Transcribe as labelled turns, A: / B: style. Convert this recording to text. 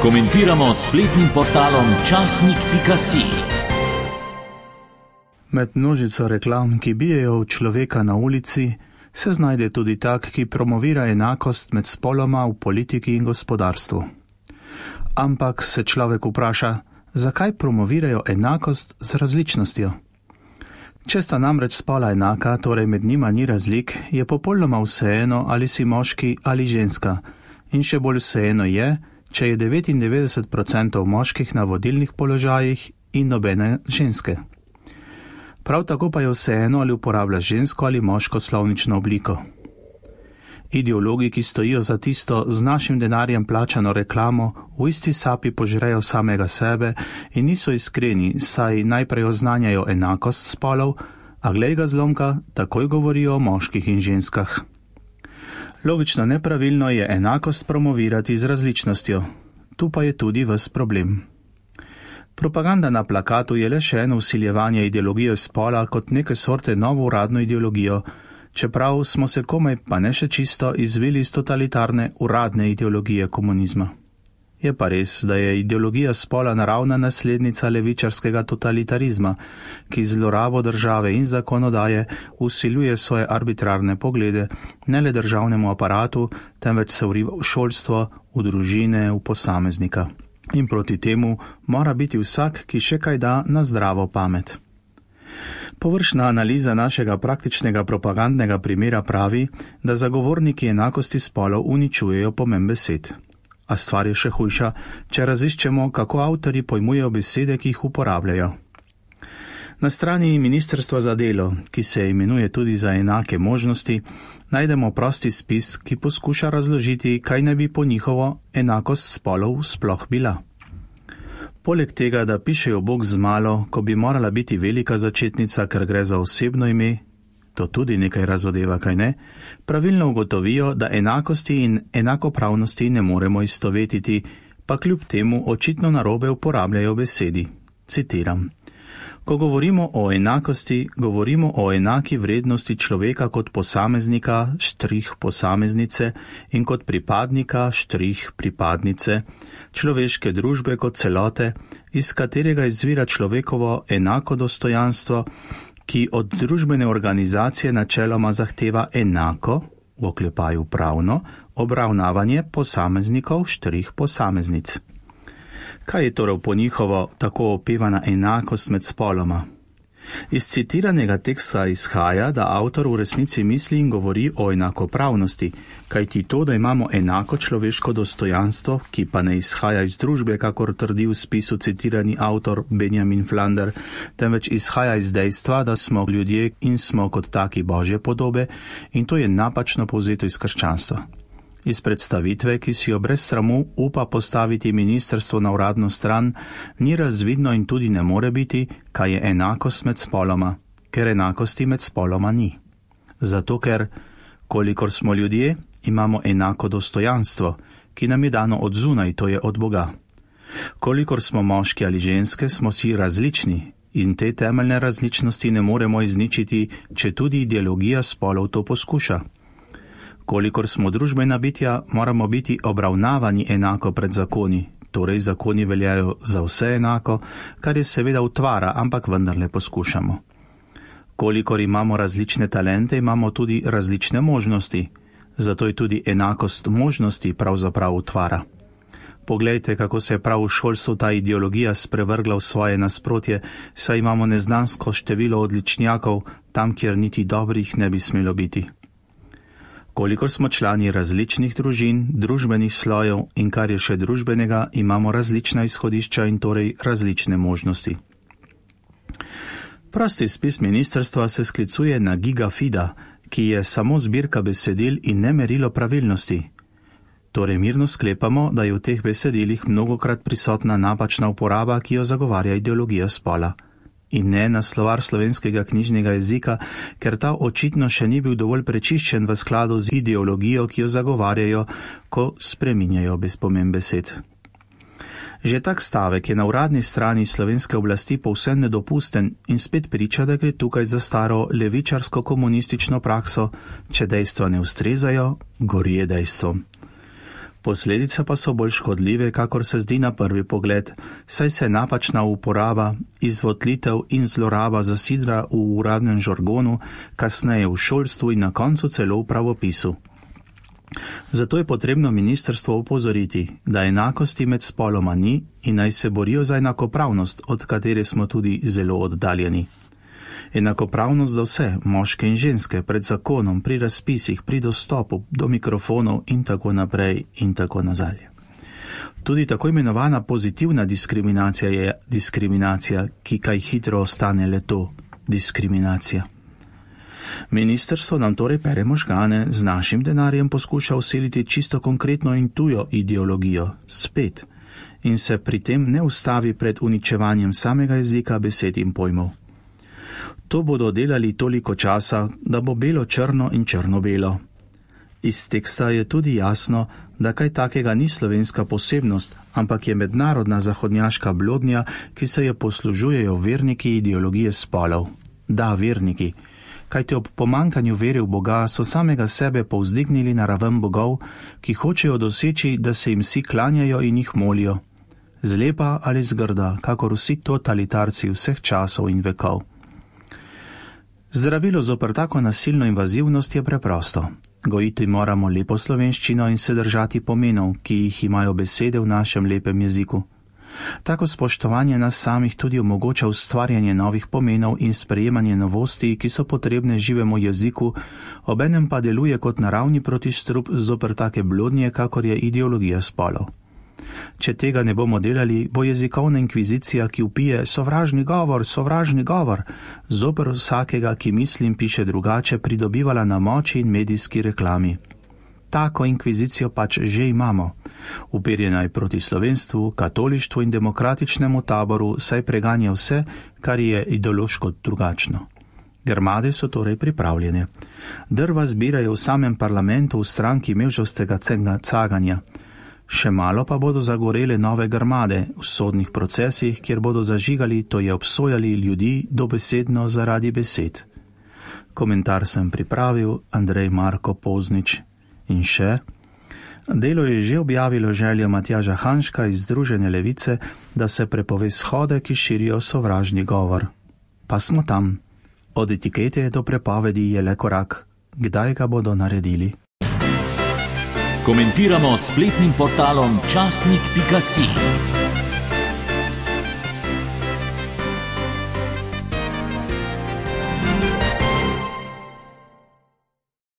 A: Komentiramo spletnim portalom časnik.si.
B: Med množico reklam, ki bijejo v človeka na ulici, se znajde tudi tak, ki promovira enakost med spoloma v politiki in gospodarstvu. Ampak se človek vpraša, zakaj promovirajo enakost z različnostjo? Če sta namreč spola enaka, torej med njima ni razlik, je popolnoma vseeno, ali si moški ali ženska. In še bolj vseeno je, če je 99% moških na vodilnih položajih in nobene ženske. Prav tako pa je vseeno, ali uporablja žensko ali moško slovnično obliko. Ideologi, ki stojijo za tisto z našim denarjem plačano reklamo, v isti sapi požrejo samega sebe in niso iskreni, saj najprej oznanjajo enakost spolov, a glej ga zlomka, takoj govorijo o moških in ženskah. Logično nepravilno je enakost promovirati z različnostjo. Tu pa je tudi ves problem. Propaganda na plakatu je le še eno vsiljevanje ideologije spola kot neke sorte novo uradno ideologijo, čeprav smo se komaj pa ne še čisto izvili iz totalitarne uradne ideologije komunizma. Je pa res, da je ideologija spola naravna naslednica levičarskega totalitarizma, ki zlorabo države in zakonodaje vsiljuje svoje arbitrarne poglede ne le državnemu aparatu, temveč se vriva v šolstvo, v družine, v posameznika. In proti temu mora biti vsak, ki še kaj da, na zdravo pamet. Površna analiza našega praktičnega propagandnega primera pravi, da zagovorniki enakosti spolov uničujejo pomen besed. A stvar je še hujša, če raziščemo, kako avtorji pojmujejo besede, ki jih uporabljajo. Na strani Ministrstva za delo, ki se imenuje tudi za enake možnosti, najdemo prosti spis, ki poskuša razložiti, kaj ne bi po njihovo enakost spolov sploh bila. Poleg tega, da pišejo bog z malo, ko bi morala biti velika začetnica, ker gre za osebno ime, to tudi nekaj razodeva, kaj ne, pravilno ugotovijo, da enakosti in enakopravnosti ne moremo istovetiti, pa kljub temu očitno narobe uporabljajo besedi. Citiram. Ko govorimo o enakosti, govorimo o enaki vrednosti človeka kot posameznika, štrih posameznice, in kot pripadnika, štrih pripadnice, človeške družbe kot celote, iz katerega izvira človekovo enako dostojanstvo, ki od družbene organizacije načeloma zahteva enako, v oklepaju pravno, obravnavanje posameznikov, štrih posameznic. Kaj je torej po njihovo tako opevana enakost med spoloma? Iz citiranega teksta izhaja, da avtor v resnici misli in govori o enakopravnosti, kajti to, da imamo enako človeško dostojanstvo, ki pa ne izhaja iz družbe, kakor trdi v spisu citirani avtor Benjamin Flander, temveč izhaja iz dejstva, da smo ljudje in smo kot taki božje podobe, in to je napačno povzeto iz krščanstva. Iz predstavitve, ki si jo brez sramu upa postaviti ministrstvo na uradno stran, ni razvidno in tudi ne more biti, kaj je enakost med spoloma, ker enakosti med spoloma ni. Zato ker, kolikor smo ljudje, imamo enako dostojanstvo, ki nam je dano od zunaj, to je od Boga. Kolikor smo moški ali ženske, smo si različni in te temeljne različnosti ne moremo izničiti, če tudi ideologija spolov to poskuša. Kolikor smo družbena bitja, moramo biti obravnavani enako pred zakoni, torej zakoni veljajo za vse enako, kar je seveda utvara, ampak vendarle poskušamo. Kolikor imamo različne talente, imamo tudi različne možnosti, zato je tudi enakost možnosti pravzaprav utvara. Poglejte, kako se je prav v šolstvu ta ideologija sprevrgla v svoje nasprotje, saj imamo neznansko število odličnjakov, tam, kjer niti dobrih ne bi smelo biti. Kolikor smo člani različnih družin, družbenih slojev in kar je še družbenega, imamo različna izhodišča in torej različne možnosti. Prosti spis ministrstva se sklicuje na gigafida, ki je samo zbirka besedil in ne merilo pravilnosti. Torej mirno sklepamo, da je v teh besedilih mnogokrat prisotna napačna uporaba, ki jo zagovarja ideologija spola. In ne na slovar slovenskega knjižnega jezika, ker ta očitno še ni bil dovolj prečiščen v skladu z ideologijo, ki jo zagovarjajo, ko spreminjajo pomen besed. Že tak stavek je na uradni strani slovenske oblasti povsem nedopusten in spet priča, da gre tukaj za staro levičarsko-komunistično prakso, če dejstva ne ustrezajo, gori je dejstvo. Posledice pa so bolj škodljive, kakor se zdi na prvi pogled, saj se napačna uporaba, izvotlitev in zloraba zasidra v uradnem žargonu, kasneje v šolstvu in na koncu celo v pravopisu. Zato je potrebno ministrstvo opozoriti, da enakosti med spoloma ni in naj se borijo za enakopravnost, od katere smo tudi zelo oddaljeni. Enakopravnost za vse, moške in ženske, pred zakonom, pri razpisih, pri dostopu do mikrofonov in tako naprej in tako nazaj. Tudi tako imenovana pozitivna diskriminacija je diskriminacija, ki kaj hitro ostane le to, diskriminacija. Ministrstvo nam torej pere možgane, z našim denarjem poskuša vseliti čisto konkretno in tujo ideologijo, spet, in se pri tem ne ustavi pred uničevanjem samega jezika, besed in pojmov. To bodo delali toliko časa, da bo belo črno in črno belo. Iz teksta je tudi jasno, da kaj takega ni slovenska posebnost, ampak je mednarodna zahodnjaška blodnja, ki se jo poslužujejo verniki ideologije spolov. Da, verniki, kajti ob pomankanju vere v Boga so samega sebe povzdignili na raven bogov, ki hočejo doseči, da se jim vsi klanjajo in jih molijo. Zlepa ali zgrda, kakor vsi totalitarci vseh časov in vekov. Zdravilo zoper tako nasilno invazivnost je preprosto. Gojiti moramo lepo slovenščino in se držati pomenov, ki jih imajo besede v našem lepem jeziku. Tako spoštovanje nas samih tudi omogoča ustvarjanje novih pomenov in sprejemanje novosti, ki so potrebne živemu jeziku, obenem pa deluje kot naravni protistrup zoper take blodnje, kakor je ideologija spolov. Če tega ne bomo delali, bo jezikovna inkvizicija, ki vpije sovražni govor, zoper vsakega, ki misli in piše drugače, pridobivala na moči in medijski reklami. Tako inkvizicijo pač že imamo. Uperjena je proti slovenstvu, katolištvu in demokratičnemu taboru, saj preganja vse, kar je ideološko drugačno. Grmade so torej pripravljene. Drva zbirajo v samem parlamentu v stranki mevžovskega caganja. Še malo pa bodo zagorele nove grmade v sodnih procesih, kjer bodo zažigali, to je obsojali ljudi dobesedno zaradi besed. Komentar sem pripravil Andrej Marko Poznič. In še, Delo je že objavilo željo Matjaža Hanška iz Združene levice, da se prepove shode, ki širijo sovražni govor. Pa smo tam. Od etikete do prepovedi je le korak. Kdaj ga bodo naredili?
A: Komentiramo s spletnim portalom časnik.si.